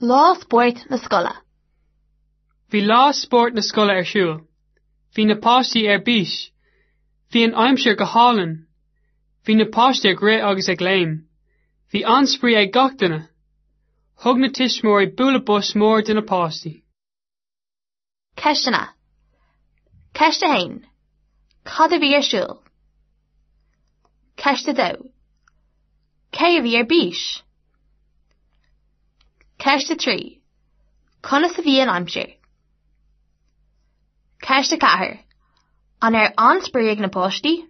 Lá Spóirt na Scoile. Bhí lá spóirt na scoile ar siúl. Bhí na páistí ar bís. Bhí an aimsir go hálainn. Bhí na páistí ag rith agus ag léim. Bhí an-spraoi ag gach duine. Thug na tuismitheoirí bualadh bos mór do na páistí. Ceisteanna. Ceist 1. Cad a bhí ar siúl? Ceist 2. Cé a bhí ar bís? Ceist 3. Conas a bhí an aimsir? Ceist 4. An raibh an-spraoi ag na páistí?